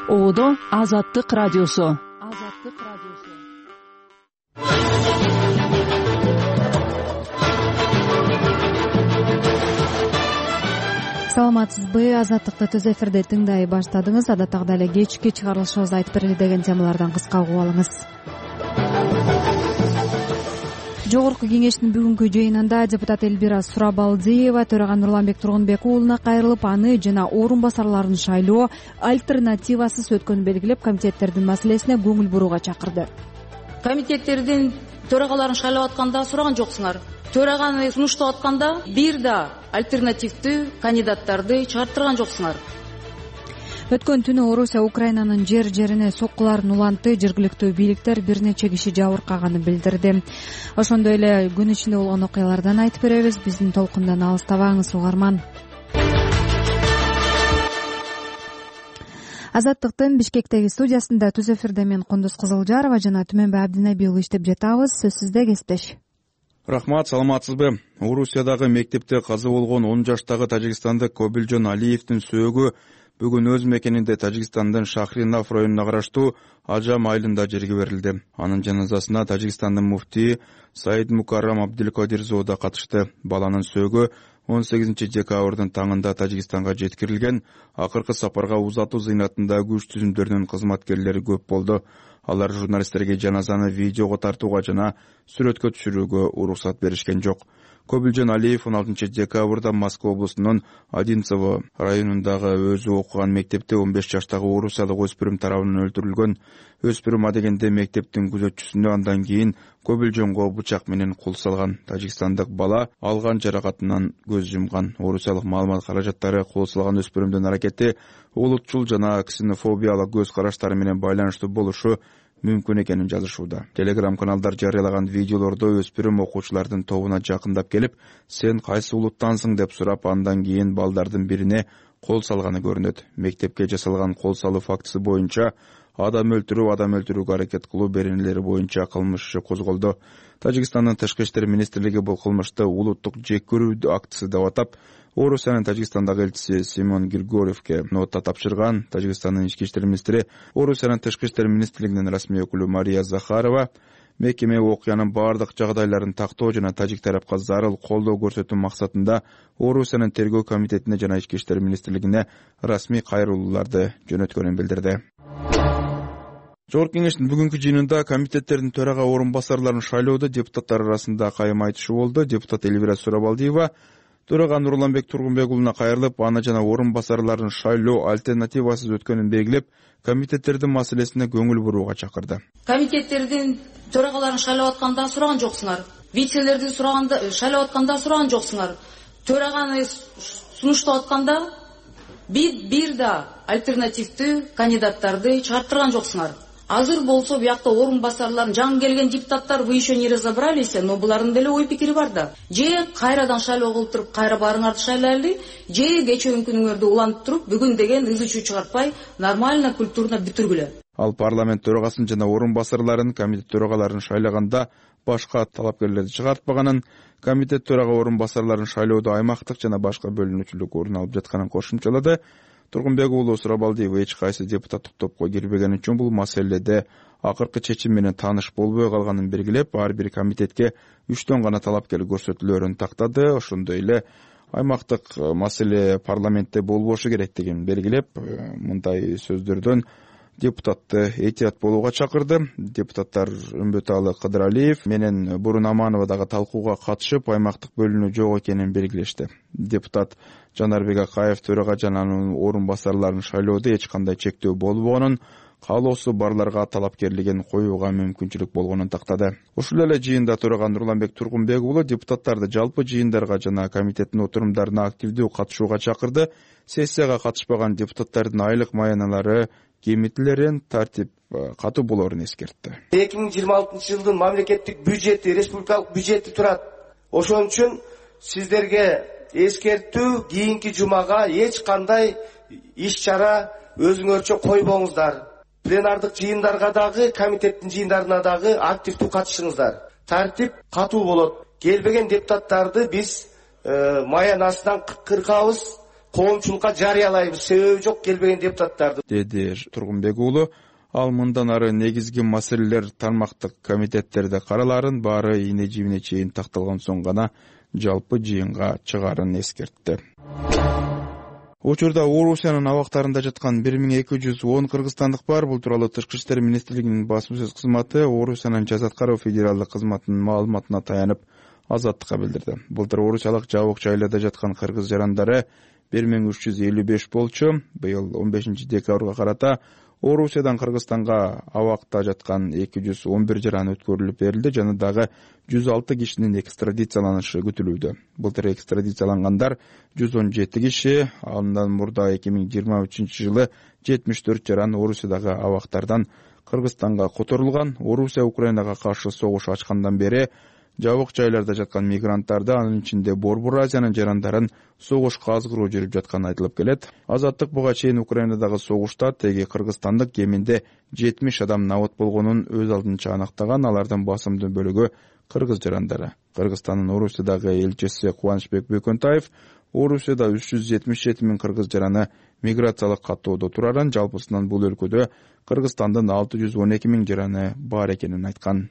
Оодо Азаттык радиосу. Саламатсызбы? Азаттыкты түз эфирде тыңдай баштадыңыз. Адаттагыдай эле кечки чыгарылышыбызды айтып берели деген темалардан кыска угуп алыңыз. Жогорку кеңештин бүгүнкү жыйынында депутат Элбира Сурабалдиева төрага Нурланбек Тургунбек уулуна кайрылып, аны жана орун басарларын шайлоо альтернативасыз өткөнүн белгилеп, комитеттердин маселесине көңүл бурууга чакырды. Комитеттердин төрагаларын шайлап атканда сураган жоксуңар. Төраганы сунуштап атканда бир да альтернативдүү кандидаттарды чыгарттырган жоксуңар. Өткөн түнү Орусия Украинанын жерине соккуларын улантты. Жергиликтүү бийликтер бир нече киши жабыркаганын билдирди. Ошондой эле күн ичинде болгон окуялардан айтып беребиз. Биздин толкундан алыстабаңыз, угарман. Азаттыктын Бишкектеги студиясында түз эфирде мен Кундуз Кызылжарова жана Түмөнбай Абдинеби уулу иштеп жатабыз. Сөз сизде, кесиптеш. Рахмат, саламатсызбы? Орусиядагы мектепте каза болгон 10 жаштагы тажикстандык Кобилжон Алиевдин сөөгү бүгүн өз мекенинде Тажикстандын Шахринав районуна караштуу Ажам айылында жерге берилди. Анын жаназасына Тажикстандын муфтии Саид Мукаррам Абдилкадирзоо да катышты. Баланын сөөгү 18 декабрдын таңында Тажикстанга жеткирилген. Акыркы сапарга узатуу зыйнатында күч түзүмдөрүнүн кызматкерлери көп болду. Алар журналисттерге жаназаны видеого тартууга жана сүрөткө түшүрүүгө уруксат беришкен жок. Кобилжон Алиев 16 декабрда Москва облусунун Одинцово районундагы өзү окуган мектепте 15 жаштагы орусиялык өспүрүм тарабынан өлтүрүлгөн. Өспүрүм адегенде мектептин күзөтчүсүнө, андан кийин Кобилжонго бычак менен кол салган. Тажикстандык бала алган жаракатынан көз жумган. Орусиялык маалымат каражаттары кол салган өспүрүмдүн аракети улутчул жана ксенофобиялык көз караштары менен байланыштуу болушу мүмкүн экенин жазышууда. Телеграм каналдар жарыялаган видеолордо өспүрүм окуучулардын тобуна жакындап келип, "Сен кайсы улуттансың?" деп сурап, андан кийин балдардын бирине кол салганы көрүнөт. Мектепке жасалган кол салуу фактысы боюнча адам өлтүрүүгө аракет кылуу беренелери боюнча кылмыш иши козголду. Тажикстандын Тышкы иштер министрлиги бул кылмышты улуттук жек көрүү актысы деп атап, Орусиянын Тажикстандагы элчиси Симон Григорьевке нота тапшырган. Тажикстандын ички иштер министри, Орусиянын Тышкы иштер министрлигинин расмий өкүлү Мария Захарова мекеме окуянын бардык жагдайларын тактоо жана тажик тарапка зарыл колдоо көрсөтүү максатында Орусиянын тергөө комитетине жана ички иштер министрлигине расмий кайрылууларды жөнөткөнүн билдирди. Жогорку кеңештин бүгүнкү жыйынында комитеттердин төрага орун басарларын шайлоодо депутаттар арасында кайым айтышуу болду. Депутат Элбира Сурабалдиева төрага Нурланбек Тургунбек уулуна кайрылып, аны жана орун басарларын шайлоо альтернативасыз өткөнүн белгилеп, комитеттердин маселесине көңүл бурууга чакырды. Комитеттердин төрагаларын шайлап атканда сураган жоксуңар. Вицелерди шайлап атканда сураган жоксуңар. Төраганы сунуштап атканда бир да альтернативдүү кандидаттарды чыгарттырган жоксуңар. Азыр болсо биякта орун басарларын жаңы келген депутаттар вы еще не разобрались, но булардын деле ой пикири бар да. Же кайрадан шайлоо кылып туруп, кайра баарыңарды шайлайлы, же кечээ күнүңөрдү улантып туруп, бүгүн деген ызы-чуу чыгартпай, нормально, культурно бүтүргүлө. Ал парламент төрагасын жана орун басарларын, комитет төрагаларын шайлаганда башка талапкерлерди чыгартпаганын, комитет төрага орун басарларын шайлоодо аймактык жана башка бөлүнүүчүлүк орун алып жатканын кошумчалады. Тургунбек уулу Сурабалдиева эч кайсы депутаттык топко кирбегени үчүн бул маселеде акыркы чечим менен тааныш болбой калганын белгилеп, ар бир комитетке 3төн гана талапкер көрсөтүлөрүн тактады. Ошондой эле аймактык маселе парламентте болбошу керектигин белгилеп, мындай сөздөрдөн депутатты этият болууга чакырды. Депутаттар Үмбөталы Кыдыралиев менен Бурун Аманова дагы талкууга катышып, аймактык бөлүнүү жок экенин белгилешти. Депутат Жанарбек Акаев төрага жана анын орун басарларын шайлоодо эч кандай чектөө болбогонун, каалоосу барларга талапкерлигин коюуга мүмкүнчүлүк болгонун тактады. Ушул эле жыйында төрага Нурланбек Тургунбек уулу депутаттарды жалпы жыйындарга жана комитеттин отурумдарына активдүү катышууга чакырды. Сессияга катышпаган депутаттардын айлык маяналары кемитилерин, тартип катуу болоорун эскертти. 2026 жылдын мамлекеттик бюджети, республикалык бюджети турат. Ошон үчүн сиздерге эскертүү, кийинки жумага эч кандай иш-чара өзүңөрчө койбоңуздар. Пленардык жыйындарга дагы, комитеттин жыйындарына дагы активдүү катышыңыздар. Тартип катуу болот. Келбеген депутаттарды биз маянасынан кыркабыз, коомчулукка жарыялайбыз, себеби жок келбеген депутаттарды, деди Тургунбек уулу. Ал мындан ары негизги маселелер тармактык комитеттерде караларын, баары ийне жибине чейин такталган соң гана жалпы жыйынга чыгаарын эскертти. Учурда Орусиянын абактарында жаткан 1210 кыргызстандык бар. Бул тууралуу Тышкы иштер министрлигинин басма сөз кызматы Орусиянын жаза аткаруу федералдык кызматынын маалыматына таянып Азаттыкка билдирди. Былтыр орусиялык жабык жайларда жаткан кыргыз жарандары 1355 болчу. Быйыл 15 декабрга карата Орусиядан Кыргызстанга абакта жаткан 211 жаран өткөрүлүп берилди жана дагы 106 кишинин экстрадицияланышы күтүлүүдө. Былтыр экстрадициялангандар 117 киши, андан мурда 2023 жылы 74 жаран Орусиядагы абактардан Кыргызстанга которулган. Орусия Украинага каршы согуш ачкандан бери жабык жайларда жаткан мигранттарды, анын ичинде Борбор Азиянын жарандарын согушка азгыруу жүрүп жатканы айтылып келет. Азаттык буга чейин Украинадагы согушта теги кыргызстандык кеминде 70 адам набат болгонун өз алдынча анактаган. Алардын басымдуу бөлүгү кыргыз жарандары. Кыргызстандын Орусиядагы элчиси Кубанычбек Бөкөнтаев Орусияда 377 миң кыргыз жараны миграциялык каттоодо турарын, жалпысынан бул өлкөдө Кыргызстандын 612 миң жараны бар экенин айткан.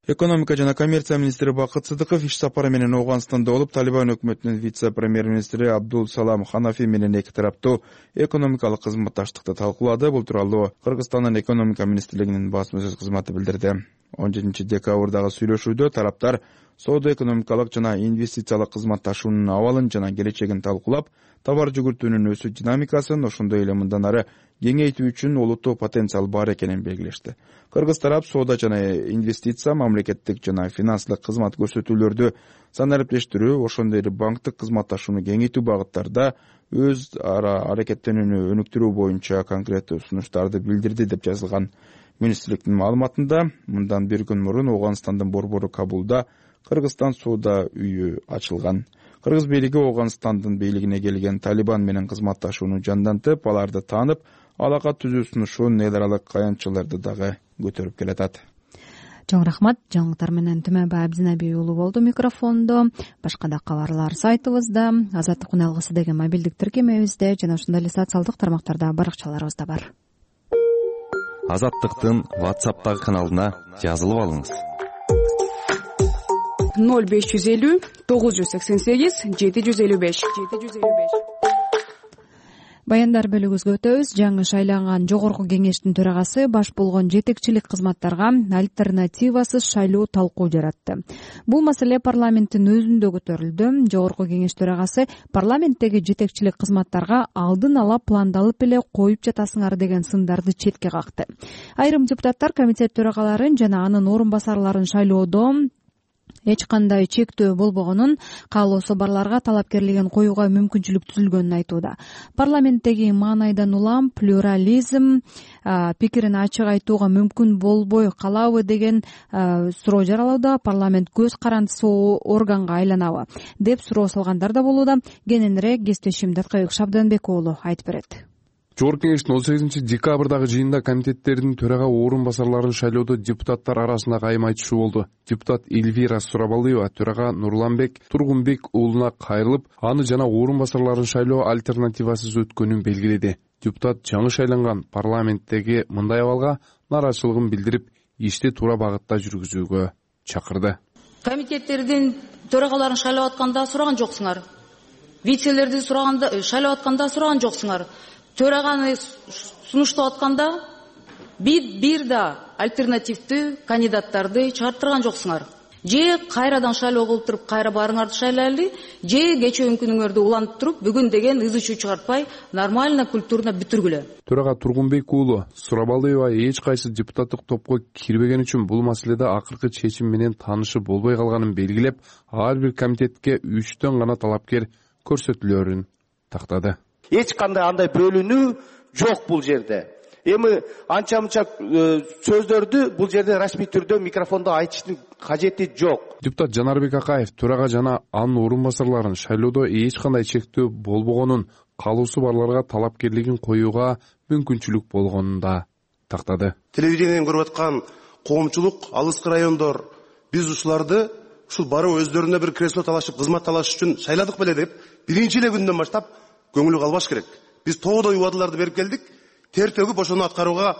Экономика жана коммерция министри Бакыт Сыдыков иш сапары менен Ооганстанда болуп, Талибан өкмөтүнүн вице-премьер-министри Абдул Салам Ханафи менен эки тараптуу экономикалык кызматташтыкты талкуулады. Бул тууралуу Кыргызстандын экономика министрлигинин басма сөз кызматы билдирди. 17 декабрдагы сүйлөшүүдө тараптар соода-экономикалык жана инвестициялык кызматташуунун абалын жана келечегин талкуулап, товар жүгүртүүнүн өсүү динамикасын, ошондой эле мындан ары кеңейтүү үчүн олуттуу потенциал бар экенин белгилешти. Кыргыз тарап соода жана инвестиция, мамлекеттик жана финансылык кызмат көрсөтүүлөрдү санариптештирүү, ошондой эле банктык кызматташууну кеңейтүү багыттарда өз ара аракеттенүүнү өнүктүрүү боюнча конкреттүү сунуштарды билдирди деп жазылган. Министрликтин маалыматында мындан бир күн мурун Ооганстандын борбору Кабулда Кыргызстан соода үйү ачылган. Кыргыз бийлиги Ооганстандын бийлигине келген Талибан менен кызматташууну жандантып, аларды таанып, алака түзүү сунушун эл аралык аянтчыларды дагы көтөрүп келатат. Чоң рахмат. Жаңылыктар менен Түмөнбай Абдинаби уулу болду микрофондо. Башка да кабарлар сайтыбызда, Азаттык уналгысы деген мобилдик тиркемебизде жана ошондой эле социалдык тармактарда баракчаларыбызда бар. Азаттыктын WhatsApp'тагы каналына жазылып алыңыз. 0550 988 755. Баяндар бөлүгүбүзгө өтөбүз. Жаңы шайланган жогорку кеңештин төрагасы баш болгон жетекчилик кызматтарга альтернативасыз шайлоо талкуу жаратты. Бул маселе парламенттин өзүндө көтөрүлдү. Жогорку кеңеш төрагасы парламенттеги жетекчилик кызматтарга алдын ала пландалып эле коюп жатасыңар деген сындарды четке какты. Айрым депутаттар комитет төрагаларын жана анын орун басарларын шайлоодо эч кандай чектөө болбогонун, каалоосу барларга талапкерлигин коюуга мүмкүнчүлүк түзүлгөнүн айтууда. Парламенттеги маанайдан улам плюрализм пикирин ачык айтууга мүмкүн болбой калабы деген суроо жаралууда. Парламент көз карандысы органга айланабы деп суроо салгандар да болууда. Кененирээк кесиптешим Даткабек Шабданбек уулу айтып берет. Жогорку кеңештин 18 декабрдагы жыйынында комитеттердин төрага орун басарларын шайлоодо депутаттар арасында кайым айтышуу болду. Депутат Эльвира Сурабалыева төрага Нурланбек Тургунбек уулуна кайрылып, аны жана орун басарларын шайлоо альтернативасыз өткөнүн белгиледи. Депутат жаңы шайланган парламенттеги мындай абалга нааразычылыгын билдирип, ишти туура багытта жүргүзүүгө чакырды. Комитеттердин төрагаларын шайлап атканда сураган жоксуңар. Вицелерди шайлап атканда сураган жоксуңар. Төраганы сунуштап атканда бир да альтернативдүү кандидаттарды чыгарттырган жоксуңар. Же кайрадан шайлоо кылып туруп кайра барыңарды шайлайлы, же кечээ күнүңөрдү улантып туруп бүгүн деген ызы-чуу чыгартпай нормально культурно бүтүргүлө. Төрага Тургунбек уулу Сурабалыева эч кайсы депутаттык топко кирбеген үчүн бул маселеде акыркы чечим менен таанышы болбой калганын белгилеп, ар бир комитетке 3төн гана талапкер көрсөтүлөрүн тактады. Эч кандай андай бөлүнүү жок бул жерде. Эми анча-мынча сөздөрдү бул жерде расмий түрдө микрофондо айтыштын кажети жок. Депутат Жанарбек Акаев төрага жана анын орун басарларын шайлоодо эч кандай чектөө болбогонун, каалоосу барларга талапкерлигин коюуга мүмкүнчүлүк болгонун да тактады. Телевидениеден көрүп аткан коомчулук, алыскы райондор биз ушуларды ушул барып өздөрүнө бир кресло талашып, кызмат талаш үчүн шайладык беле деп биринчи эле күндөн баштап көңүлү калбаш керек. Биз тоодой убадаларды берип келдик. Тер төгүп ошону аткарууга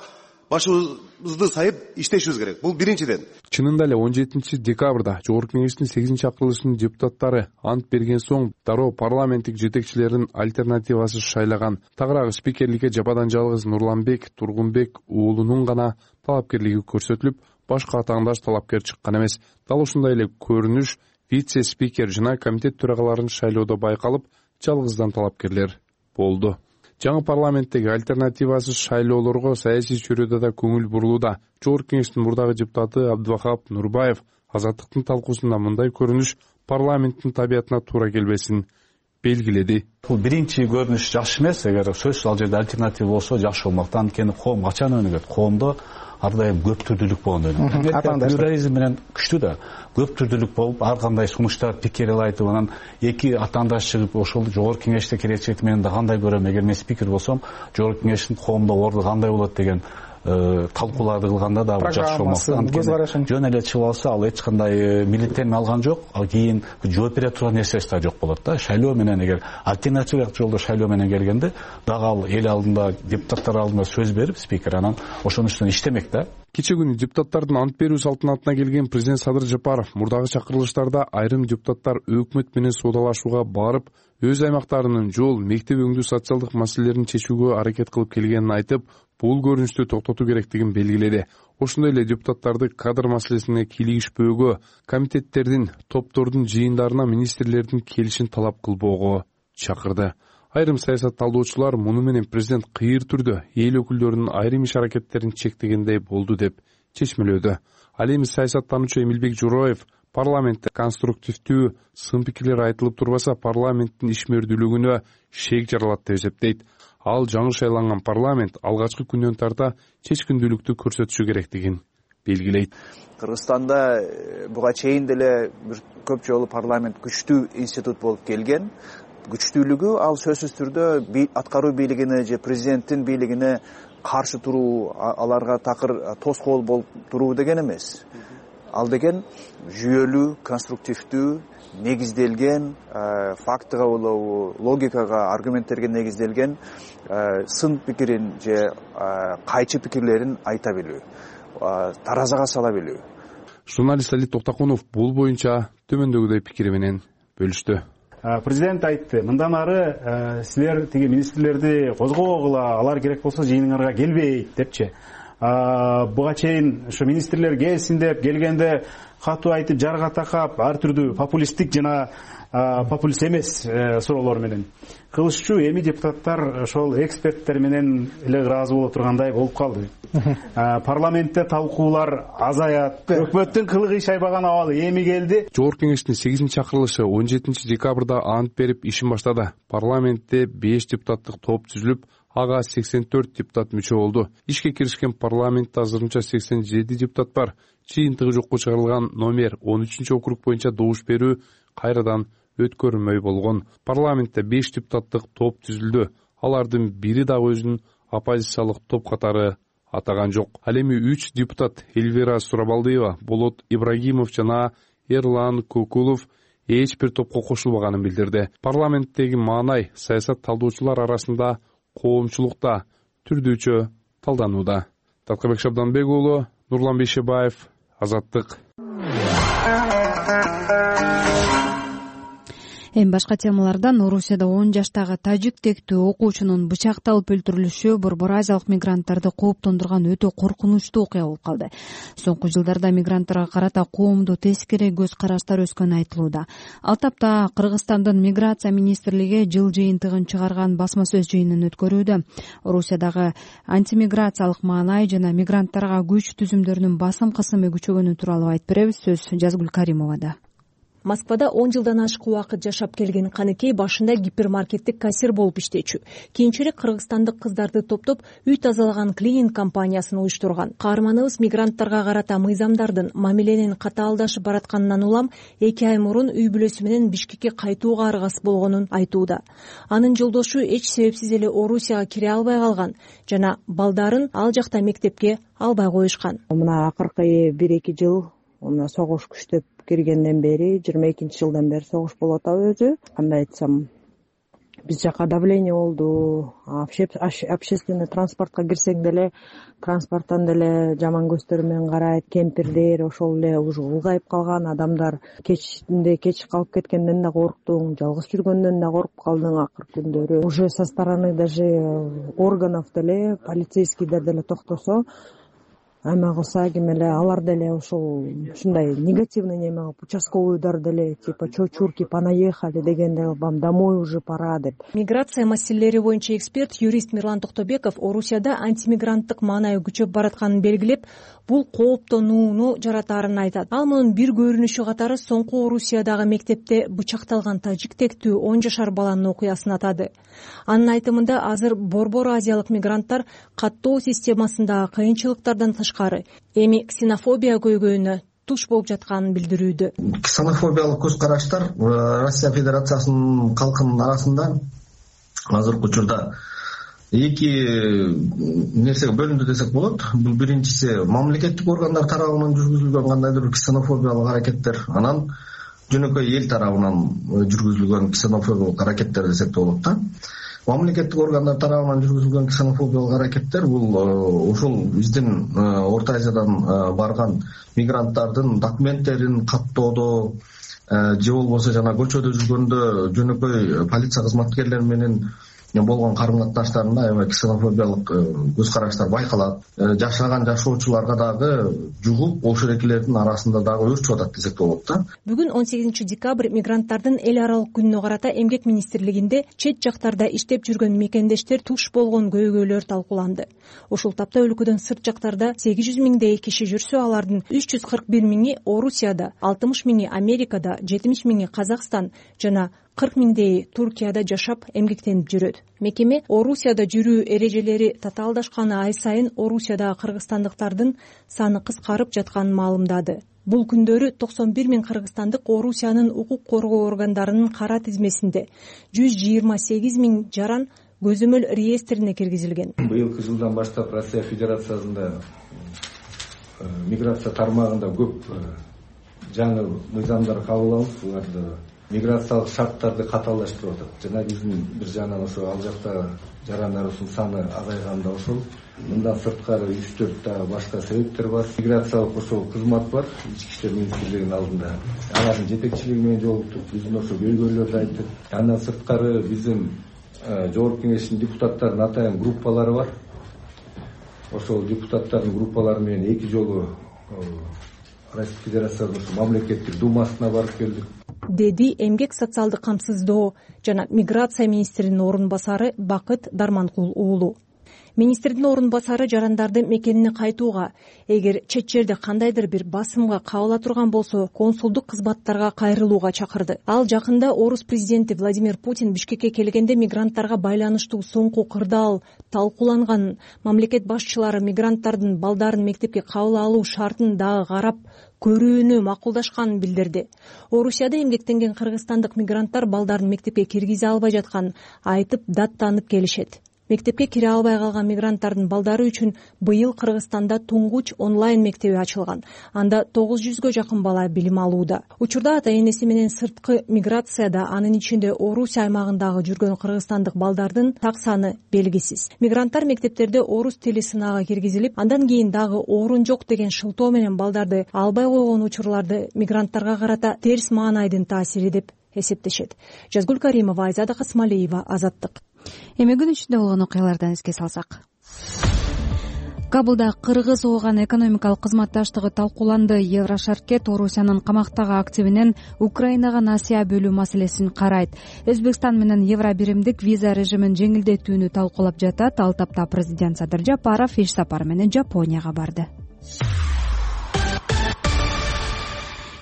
башыбызды сайып иштешибиз керек. Бул биринчиден. Чынында эле 17 декабрда Жогорку Кеңештин 8-акырылышынын депутаттары ант берген соң дароо парламенттик жетекчилердин альтернативасы шайлаган. Тагыраагы спикерликке жападан жалгыз Нурланбек Тургунбек уулунун гана талапкерлиги көрсөтүлүп, башка атаандаш талапкер чыккан эмес. Дал ушундай эле көрүнүш вице-спикер жана комитет төрагаларын шайлоодо байкалып, жалгыздан талапкерлер болду. Жаңы парламенттеги альтернативасыз шайлоолорго саясий чөйрөдө да көңүл бурулууда. Жогорку Кеңештин мурдагы депутаты Абдывахап Нурбаев Азаттыктын талкуусунда мындай көрүнүш парламенттин табиятына туура келбесин белгиледи. Бул биринчи көрүнүш жакшы эмес. Эгер сөзсүз ал жерде альтернатива болсо жакшы болмок. Анткени коом качан өнүгөт? Коомдо ар дайым көп түрдүүлүк болгондо плюрализм менен күчтүү да. Көп түрдүүлүк болуп, ар кандай сунуштар, пикирлер айтып, анан эки атаандаш чыгып, ошол Жогорку Кеңеште келечекти менен да кандай көрөм, эгер мен спикер болсом, Жогорку Кеңештин коомдо орду кандай болот деген талкууларды кылганда да жакшы болмок. Анткени жөн эле чыгып алса, ал эч кандай милдеттенме алган жок, ал кийин жооп бере турган нерсеси да жок болот да. Шайлоо менен эгер альтернатива жолдо шайлоо менен келгенде, дагы ал эл алдында, депутаттар алдында сөз берип, спикер анан ошонун үстүнөн иштемек да. Кече күнү депутаттардын ант берүү салтанатына келген президент Садыр Жапаров мурдагы чакырылыштарда айрым депутаттар өкмөт менен соодалашууга барып, өз аймактарынын жол, мектеп өңдүү социалдык маселелерин чечүүгө аракет кылып келгенин айтып, бул көрүнүштү токтотуу керектигин белгиледи. Ошондой эле депутаттарды кадр маселесине кийлигишпөөгө, комитеттердин, топтордун жыйындарына министрлердин келишин талап кылбоого чакырды. Айрым саясат талдоочулар муну менен президент кыйыр түрдө эл өкүлдөрүнүн айрым иш аракеттерин чектегендей болду деп чечмелөөдө. Ал эми саясаттануучу Эмилбек Журоев парламентте конструктивдүү сын пикирлер айтылып турбаса, парламенттин ишмердүүлүгүнө шек жаралат деп эсептейт. Ал жаңы шайланган парламент алгачкы күндөн тарта чечкиндүүлүктү көрсөтүшү керектигин белгилейт. Кыргызстанда буга чейин деле бир көп жолу парламент күчтүү институт болуп келген. Күчтүүлүгү ал сөзсүз түрдө аткаруу бийлигине же президенттин бийлигине каршы туруу, аларга такыр тоскоол болуп туруу деген эмес. Ал деген жүйөлүү, конструктивдүү, негизделген, фактыга болобу, логикага, аргументтерге негизделген сын пикирин же кайчы пикирлерин айта билүү, таразага сала билүү. Журналист Али Токтакунов бул боюнча төмөндөгүдөй пикири менен бөлүштү. Президент айтты, мындан ары силер тиги министрлерди козгогула, алар керек болсо жыйыныңарга келбейт депчи. Буга чейин ошо министрлер келсин деп келгенде катуу айтып, жарга такап, ар түрдүү популисттик жана популист эмес суроолор менен кылышчу. Эми депутаттар ошол эксперттер менен эле ыраазы боло тургандай болуп калды. Парламентте талкуулар азаят, өкмөттүн кылыгы иш айбаган абалы эми келди. Жогорку Кеңештин 8-акырылышы 17 декабрда ант берип ишин баштады. Парламентте 5 депутаттык топ түзүлүп, ага 84 депутат мүчө болду. Ишке киришкен парламентте азырынча 87 депутат бар. Жыйынтыгы жокко чыгарылган номер 13-округ боюнча добуш берүү кайрадан өткөрүлмөй болгон. Парламентте 5 депутаттык топ түзүлдү. Алардын бири дагы өзүнүн оппозициялык топ катары атаган жок. Ал эми 3 депутат Эльвира Сурабалдиева, Болот Ибрагимов жана Эрлан Кокулов эч бир топко кошулбаганын билдирди. Парламенттеги маанай саясат талдоочулар арасында коомчулукта түрдүүчө талданууда. Таткабек Шабданбек уулу, Нурлан Бейшебаев, Азаттык. Эми башка темалардан Орусияда 10 жаштагы тажик тектүү окуучунун бычакталып өлтүрүлүшү Борбор Азиялык мигранттарды кооптондурган өтө коркунучтуу окуя болуп калды. Соңку жылдарда мигранттарга карата коомдо тескери көз караштар өскөнү айтылууда. Ал тапта Кыргызстандын миграция министрлиги жыл жыйынтыгын чыгарган басма сөз жыйынын өткөрүүдө. Орусиядагы антимиграциялык маанай жана мигранттарга күч түзүмдөрүнүн басым кысымы күчөгөнү тууралуу айтып беребиз. Сөз Жазгүл Каримовада. Москвада 10 жылдан ашык убакыт жашап келген Каныкей башында гипермаркеттик кассир болуп иштечү. Кийинчерээк кыргызстандык кыздарды топтоп үй тазалаган клининг компаниясын уюштурган. Каарманыбыз мигранттарга карата мыйзамдардын мамиленин катаалдашып баратканынан улам 2 ай мурун үй бүлөсү менен Бишкекке кайтууга аргасыз болгонун айтууда. Анын жолдошу эч себепсиз эле Орусияга кире албай калган жана балдарын ал жакта мектепке албай коюшкан. Мына акыркы 1-2 жыл мына согуш күчтөп киргенден бери 22 жылдан бери согуш болуп атабы өзү. Кандай айтсам, Биз жака давление болду. Общественный транспортко кирсең деле транспорттон деле жаман көздөр менен карайт. Кемпирдер ошол эле уже улгайып калган адамдар. Кеч калып кеткенден да корктуң, жалгыз жүргөндөн да коркуп калдың акыркы күндөрү. Уже со стороны даже органов деле, полицейскийлер деле токтосо, айма кылса ким эле алар деле ошол ушундай негативный неме кылып, участковыйдар деле типа чурки понаехали дегенде вам домой уже пора деп. Миграция маселелери боюнча эксперт, юрист Мирлан Токтобеков Орусияда антимигранттык маанай күчөп баратканын белгилеп, бул кооптонууну жаратаарын айтат. Ал мунун бир көрүнүшү катары соңку Орусиядагы мектепте бычакталган тажик тектүү 10 жашар баланын окуясын атады. Анын айтымында азыр борбор азиялык мигранттар каттоо системасындагы кыйынчылыктардан тышкары эми ксенофобия көйгөйүнө туш болуп жатканын билдирүүдө. Ксенофобиялык көз караштар Россия Федерациясынын калкынын арасында азыркы учурда эки нерсеге бөлүндү десек болот. Бул биринчиси мамлекеттик органдар тарабынан жүргүзүлгөн кандайдыр бир ксенофобиялык аракеттер, анан жөнөкөй эл тарабынан жүргүзүлгөн ксенофобиялык аракеттер десек болот да. Мамлекеттик органдар тарабынан жүргүзүлгөн ксенофобиялык аракеттер бул ушул биздин Орто Азиядан барган мигранттардын документтерин каттоодо же болбосо жана көчөдө жүргөндө жөнөкөй полиция кызматкерлери менен болгон карым катнаштарында аябай ксенофобиялык көз караштар байкалат. Жашаган жашоочуларга дагы жугуп ошол арасында дагы өрчүп атат десек болот да. Бүгүн 18 декабрь мигранттардын эл аралык күнүнө карата Эмгек министрлигинде чет жактарда иштеп жүргөн мекендештер туш болгон көйгөйлөр талкууланды. Ушул тапта өлкөдөн сырт жактарда 800 миңдей киши жүрсө, алардын 341 миңи Орусияда, 60 миңи Америкада, 70 миңи Казакстан жана 40 миңдей Туркияда жашап эмгектенип жүрөт. Мекеме Орусияда жүрүү эрежелери татаалдашканы ай сайын Орусиядагы кыргызстандыктардын саны кыскарып жатканын маалымдады. Бул күндөрү 91 миң кыргызстандык Орусиянын укук коргоо органдарынын кара тизмесинде, 128 миң жаран көзөмөл реестрине киргизилген. Быйылкы жылдан баштап Россия Федерациясында миграция тармагында көп жаңы мыйзамдар кабыл алынып, буларды миграциялык шарттарды катаалдаштырып атат. Жана биздин бир жагынан ошо ал жакта жарандарыбыздын саны азайганда ошол мындан сырткары 3-4 да башка себептер бар. Миграциялык ошол кызмат бар, ички иштер министрлигинин алдында. Алардын жетекчилиги менен жолуктук, биздин ошо көйгөйлөрдү айттык. Андан сырткары биздин Жогорку Кеңештин депутаттарынын атайын группалары бар. Ошол депутаттардын группалары менен 2 жолу Россия Федерациясынын мамлекеттик думасына барып келдик, деди эмгек социалдык камсыздоо жана миграция министринин орун басары Бакыт Дарманкул уулу. Министрдин орун басары жарандарды мекенине кайтууга, эгер чет жерде кандайдыр бир басымга кабыла турган болсо, консулдук кызматтарга кайрылууга чакырды. Ал жакында Орус президенти Владимир Путин Бишкекке келгенде мигранттарга байланыштуу соңку кырдаал талкууланганын, мамлекет башчылары мигранттардын балдарын мектепке кабыл алуу шартын дагы карап көрүүнү макулдашканын билдирди. Орусияда эмгектенген кыргызстандык мигранттар балдарын мектепке киргизе албай жатканын айтып даттанып келишет. Мектепке кире албай калган мигранттардын балдары үчүн быйыл Кыргызстанда туңгуч онлайн мектеби ачылган. Анда 900гө жакын бала билим алууда. Учурда ата-энеси менен сырткы миграцияда, анын ичинде Орусия аймагындагы жүргөн кыргызстандык балдардын так саны белгисиз. Мигранттар мектептерде орус тили сынагы киргизилип, андан кийин дагы орун жок деген шылтоо менен балдарды албай койгон учурларды мигранттарга карата терс маанайдын таасири деп эсептешет. Жазгүл Каримова, Айзада Касмалиева, Азаттык. Эми күн ичинде болгон окуялардан эске салсак. Кабулда Кыргыз ООГ экономикалык кызматташтыгы талкууланды. Еврошаркет Орусиянын камактагы активинен Украинага насыя бөлүү маселесин карайт. Өзбекстан менен евробиримдик виза режимин жеңилдетүүнү талкуулап жатат. Ал тапта президент Садыр Жапаров иш сапары менен Жапонияга барды.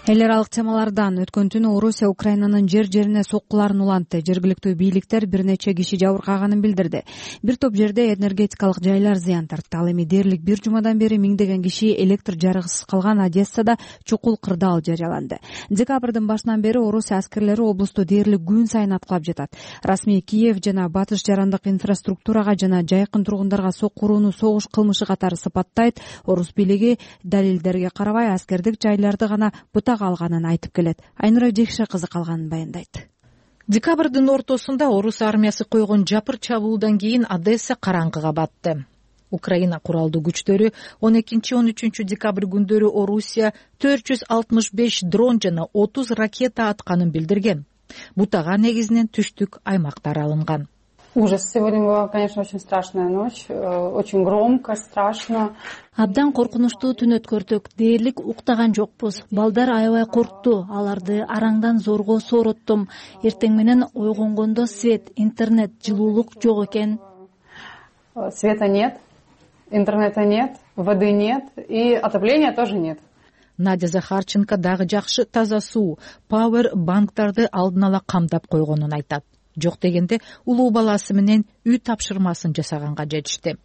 Эл аралык темалардан өткөн түнү Орусия Украинанын жер-жерине соккуларын улантты. Жергиликтүү бийликтер бир нече киши жабыркаганын билдирди. Бир топ жерде энергетикалык жайлар зыян тартты. Ал эми дээрлик бир жумадан бери миңдеген киши электр жарыгысыз калган Одессада чукул кырдаал жарыяланды. Декабрдын башынан бери Орусия аскерлери облусту дээрлик күн сайын аткылап жатат. Расмий Киев жана батыш жарандык инфраструктурага жана жайкын тургундарга соккурууну согуш кылмышы катары сыпаттайт. Орус бийлиги далилдерге карабай аскердик жайларды гана бутак алганын айтып келет. Айнура Жекше кызы калганын баяндайт. Декабрдын ортосунда орус армиясы койгон жапыр чабуулдан кийин Одесса караңгыга батты. Украина куралдуу күчтөрү 12-13 декабрь күндөрү Орусия 465 дрон жана 30 ракета атканын билдирген. Бутага негизинен түштүк аймактар алынган. Ужас. Сегодня была, конечно, очень страшная ночь. Очень громко, страшно. Абдан коркунучтуу түн өткөрдүк. Дээрлик уктаган жокпуз. Балдар аябай коркту. Аларды араңдан зорго соороттум. Эртең менен ойгонгондо свет, интернет, жылуулук жок экен. Света нет, интернета нет, воды нет и отопления тоже нет. Надя Захарченко дагы жакшы таза суу, пауэр банктарды алдын ала камдап койгонун айтат. Жок дегенде улуу баласы менен үй тапшырмасын жасаганга жетишти.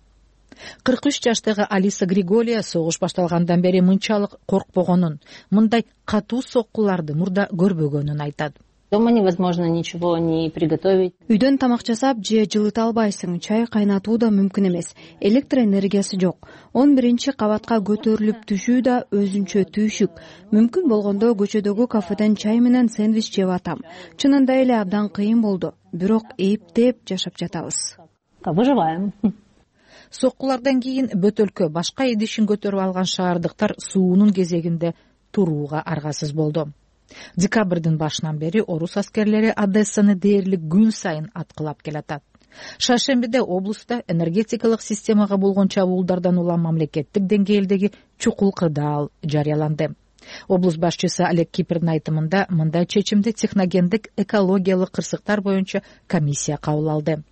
43 жаштагы Алиса Григория согуш башталгандан бери мынчалык коркпогонун, мындай катуу соккуларды мурда көрбөгөнүн айтат. Дома невозможно ничего не приготовить. Үйдөн тамак жасап же жылыта албайсың, чай кайнатуу да мүмкүн эмес. Электр энергиясы жок. 11-кабатка көтөрүлүп түшүү да өзүнчө түйшүк. Мүмкүн болгондо көчөдөгү кафеден чай менен сэндвич жеп атам. Чынында эле абдан кыйын болду. Бирок эптеп жашап жатабыз. Выживаем. Соккулардан кийин бөтөлкө башка идишин көтөрүп алган шаардыктар суунун кезегинде турууга аргасыз болду. Декабрдын башынан бери орус аскерлери Одессаны дээрлик күн сайын аткылап келатат. Шаршембиде облуста энергетикалык системага болгон чабуулдардан улам мамлекеттик деңгээлдеги чукул кырдаал жарыяланды. Облус башчысы Олег Кипрдин айтымында мындай чечимди техногендик экологиялык кырсыктар боюнча комиссия кабыл алды.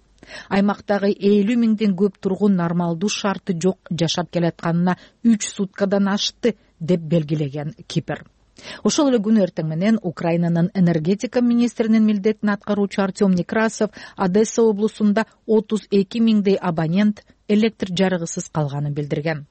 Аймактагы 50 миңден көп тургун нормалдуу шарты жок жашап келатканына 3 суткадан ашты деп белгилеген Кипр. Ошол эле күнү эртең менен Украинанын энергетика министринин милдетин аткаруучу Артем Некрасов Одесса облусунда 32 миңдей абонент электр жарыгысыз калганын билдирген.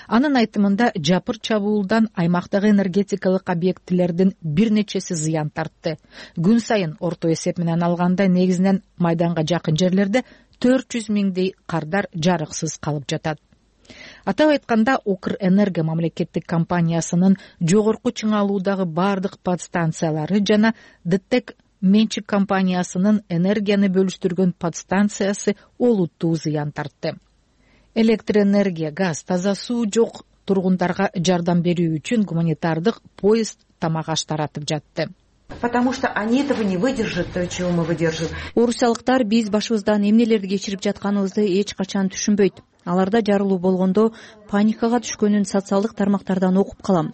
Анын айтымында жапыр чабуулдан аймактагы энергетикалык объектилердин бир нечеси зыян тартты. Күн сайын орто эсеп менен алганда негизинен майданга жакын жерлерде 400 миңдей кардар жарыксыз калып жатат. Атап айтканда Укрэнерго мамлекеттик компаниясынын жогорку чыңалуудагы бардык подстанциялары жана ДТЭК менчик компаниясынын энергияны бөлүштүргөн подстанциясы олуттуу зыян тартты. Электроэнергия, газ, таза суу жок тургундарга жардам берүү үчүн гуманитардык поезд тамак аш таратып жатты. Потому что они этого не выдержат, то, чего мы выдержим. Орусиялыктар биз башыбыздан эмнелерди кечирип жатканыбызды эч качан түшүнбөйт. Аларда жарылуу болгондо паникага түшкөнүн социалдык тармактардан окуп калам.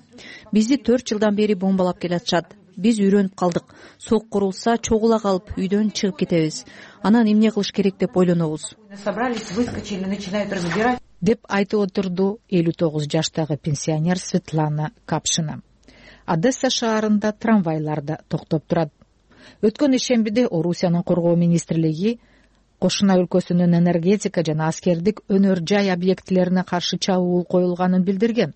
Бизди 4 жылдан бери бомбалап келатышат. Биз үйрөнүп калдык. Сок курулса чогула калып үйдөн чыгып кетебиз. Анан эмне кылыш керек деп ойлонобуз. Собрались, выскочили, начинают разбирать. Деп айтып отурду 59 жаштагы пенсионер Светлана Капшина. Одесса шаарында трамвайлар да токтоп турат. Өткөн ишембиде Орусиянын коргоо министрлиги Кошуна өлкөсүнүн энергетика жана аскердик өнөр жай объектилерине каршы чабуул коюлганын билдирген.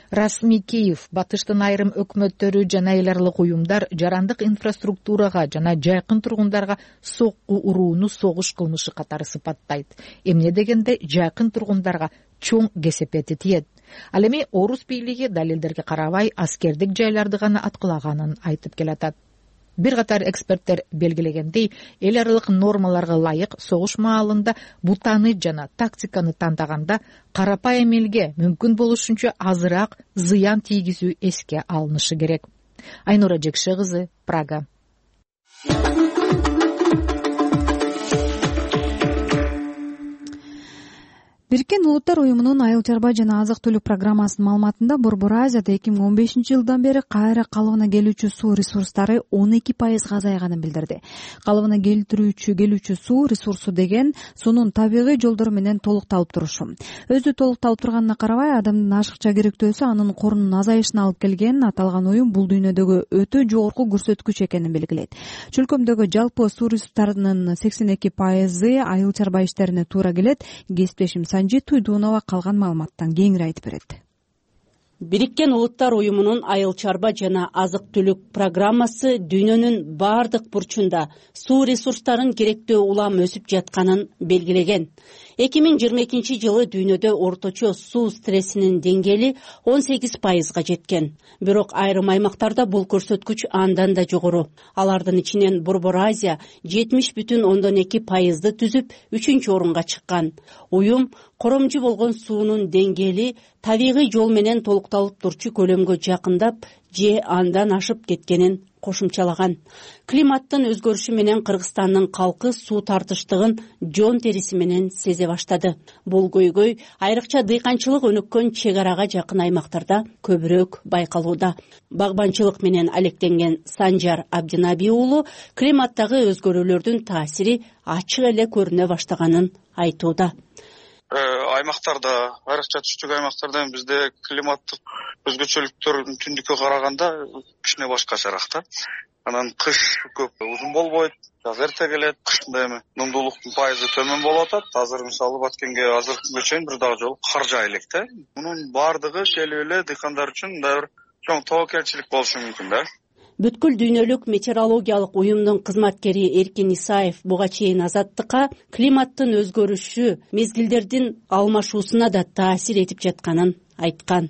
Расмий Киев, Батыштын айрым өкмөттөрү жана эл аралык уюмдар жарандык инфраструктурага жана жайкын тургундарга сокку урууну согуш кылмышы катары сыпаттайт. Эмне дегенде жайкын тургундарга чоң кесепети тиет. Ал эми орус бийлиги далилдерге карабай аскердик жайларды гана аткылаганын айтып келатат. Бир катар эксперттер белгилегендей, эл аралык нормаларга ылайык согуш маалында бутаны жана тактиканы тандаганда карапайым элге мүмкүн болушунча азыраак зыян тийгизүү эске алынышы керек. Айнура Жекше кызы, Прага. Бириккен Улуттар уюмунун айыл чарба жана азык түлүк программасынын маалыматында Борбор Азияда 2015-жылдан бери кайра калыбына келүүчү суу ресурстары 12% азайганын билдирди. Калыбына келүүчү суу ресурсу деген суунун табигый жолдору менен толукталып турушу. Өзү толукталып турганына карабай, адамдын ашыкча керектөөсү анын корунун азайышына алып келген аталган уюм бул дүйнөдөгү өтө жогорку көрсөткүч экенин белгилейт. Чөлкөмдөгү жалпы суу ресурстарынын 82% айыл чарба иштерине туура келет. Кесиптешим Санжи Туйдунова калган маалыматтан кеңири айтып берет. Бириккен Улуттар уюмунун айыл чарба жана азык түлүк программасы дүйнөнүн бардык бурчунда суу ресурстарын керектөө улам өсүп жатканын белгилеген. 2022 жылы дүйнөдө орточо суу стрессинин деңгээли 18%га жеткен. Бирок айрым аймактарда бул көрсөткүч андан да жогору. Алардын ичинен Борбор Азия 70,2%ды түзүп, 3-орунга чыккан. Уюм коромжу болгон суунун деңгээли табигый жол менен толукталып турчу көлөмгө жакындап же андан ашып кеткенин кошумчалаган. Климаттын өзгөрүшү менен Кыргызстандын калкы суу тартыштыгын жон териси менен сезе баштады. Бул көйгөй айрыкча дыйканчылык өнүккөн чек арага жакын аймактарда көбүрөөк байкалууда. Багбанчылык менен алектенген Санжар Абдинаби уулу климаттагы өзгөрүүлөрдүн таасири ачык эле көрүнө баштаганын айтууда. Аймактарда, айрыкча түштүк аймактарда бизде климаттык өзгөчөлүктөр түндүккө караганда кичине башкачараак да. Анан кыш көп узун болбойт, жаз эрте келет, кышында эми нымдуулуктун пайызы төмөн болуп атат. Азыр мисалы Баткенге азыркы күнгө чейин бир дагы жолу кар жаа элек да. Мунун баардыгы келип эле дыйкандар үчүн дагы бир чоң тобокелчилик болушу мүмкүн да. Бүткүл дүйнөлүк метеорологиялык уюмдун кызматкери Эркин Исаев буга чейин Азаттыкка климаттын өзгөрүшү мезгилдердин алмашуусуна да таасир этип жатканын айткан.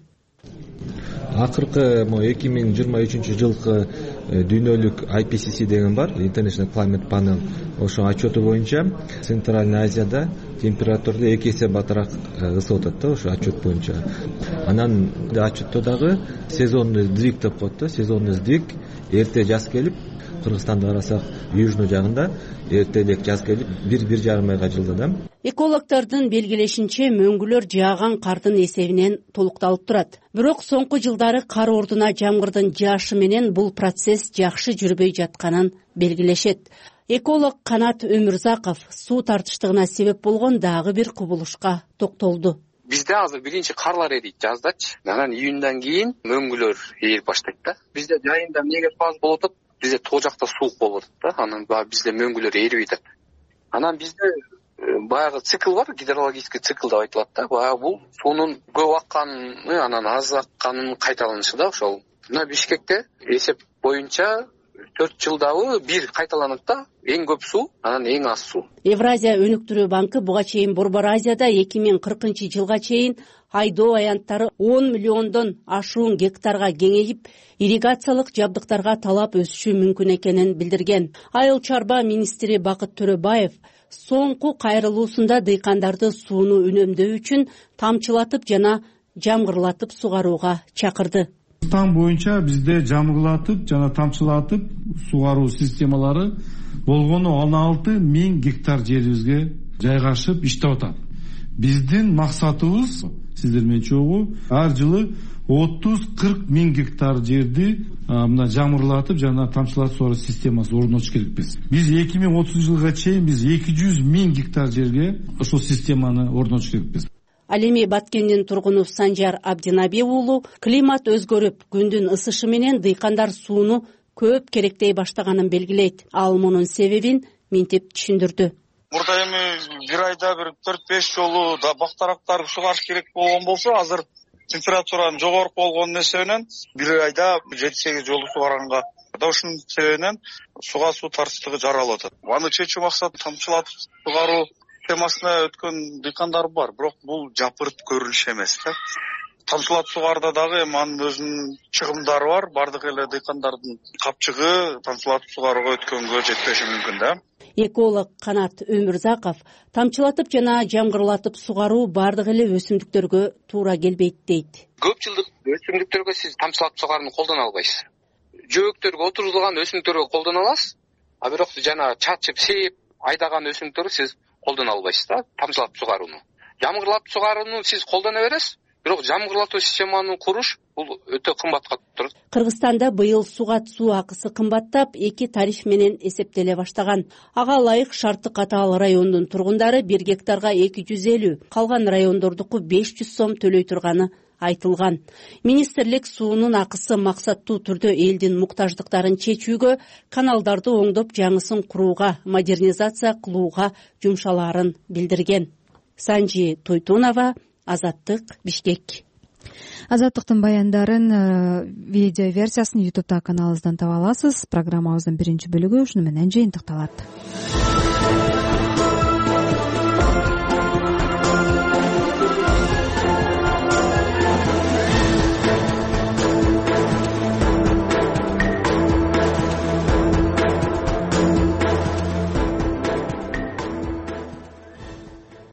Акыркы 2023 жылкы дүйнөлүк IPCC деген бар, International Climate Panel, ошо отчету боюнча Центральный Азияда температура 2 эсе батыраак ысып атат да, ошо отчет боюнча. Анан отчетто дагы сезонный сдвиг деп коет да, сезонный сдвиг, эрте жаз келип, Кыргызстанды карасак, южный жагында эрте элек жаз келип, 1,5 айга жылда да. Экологтордун белгилешинче мөңгүлөр жааган кардын эсебинен толукталып турат. Бирок соңку жылдары кар ордуна жамгырдын жаашы менен бул процесс жакшы жүрбөй жатканын белгилешет. Эколог Канат Өмүрзаков суу тартыштыгына себеп болгон дагы бир кубулушка токтолду. Бизде азыр биринчи карлар эрийт жаздачы. Анан июндан кийин мөңгүлөр ээрип баштайт да. Бизде жайында эмнеге фаз болуп атат? Бизде тоо жакта суук болуп атат да. Анан бизде мөңгүлөр ээрибей атат. Анан бизде баягы цикл бар, гидрологический цикл деп айтылат да. Баягы бул суунун көп акканы, анан аз акканын кайталанышы да ошол. Мына Бишкекте эсеп боюнча 4 жылдабы бир кайталанат да. Эң көп суу, анан эң аз суу. Евразия өнүктүрүү банкы буга чейин Борбор Азияда 2040 жылга чейин айдоо аянттары 10 миллиондон ашуун гектарга кеңейип, ирригациялык жабдыктарга талап өсүшү мүмкүн экенин билдирген. Айыл чарба министри Бакыт Төрөбаев соңку кайрылуусунда дыйкандарды сууну үнөмдөө үчүн тамчылатып жана жамгырлатып сугарууга чакырды. Кыргызстан боюнча бизде жамгырлатып жана тамчылатып сугаруу системалары болгону 16.000 гектар жерибизге жайгашып иштеп атат. Биздин максатыбыз сиздер менен чогуу ар жылы 30-40 миң гектар жерди мына жамгырлатып жана тамчылатып сугаруу системасы орнотуш керекпиз. Биз 2030 жылга чейин биз 200 миң гектар жерге ошол системаны орнотуш керекпиз. Ал эми Баткендин тургуну Санжар Абдинаби уулу климат өзгөрүп, күндүн ысышы менен дыйкандар сууну көп керектей баштаганын белгилейт. Ал мунун себебин минтип түшүндүрдү. Мурда эми бир айда бир 4-5 жолу да бактарактар сугарыш керек болгон болсо, азыр температуранын жогорку болгонун эсебинен бир айда 7-8 жолу сугарганга да ушунун себебинен суу тартыштыгы жаралып атат. Аны чечүү максаты тамчылатып сугаруу темасына өткөн дыйкандар бар, бирок бул жапырт көрүнүш эмес да. Тамчылатып сугарда дагы эми анын өзүнүн чыгымдары бар. Бардык эле дыйкандардын капчыгы тамчылатып сугарууга өткөнгө жетпеши мүмкүн да. Эколог Канат Өмүрзаков тамчылатып жана жамгырлатып сугаруу бардык эле өсүмдүктөргө туура келбейт дейт. Көп жылдык өсүмдүктөргө сиз тамчылатып сугарууну колдоно албайсыз. Жөөктөргө отургузулган өсүмдүктөргө колдоно аласыз, а бирок жана чачып, сээп, айдаган өсүмдүктөргө сиз колдоно албайсыз да тамчылатып сугарууну. Жамгырлатып сугарууну сиз колдоно бересиз, бирок жамгырлатуу системаны куруш бул өтө кымбатка турат. Кыргызстанда быйыл суга суу акысы кымбаттап, 2 тариф менен эсептеле баштаган. Ага ылайык Шарты Катаал районунун тургундары 1 гектарга 250, калган райондордуку 500 сом төлөй турганы айтылган. Министрлик суунун акысы максаттуу түрдө элдин муктаждыктарын чечүүгө, каналдарды оңдоп жаңысын курууга, модернизация кылууга жумшалаарын билдирген. Санжи Тойтунова, Азаттык, Бишкек. Азаттыктын баяндарын видео версиясын YouTube каналыбыздан таба аласыз. Программабыздын биринчи бөлүгү ушуну менен жыйынтыкталат.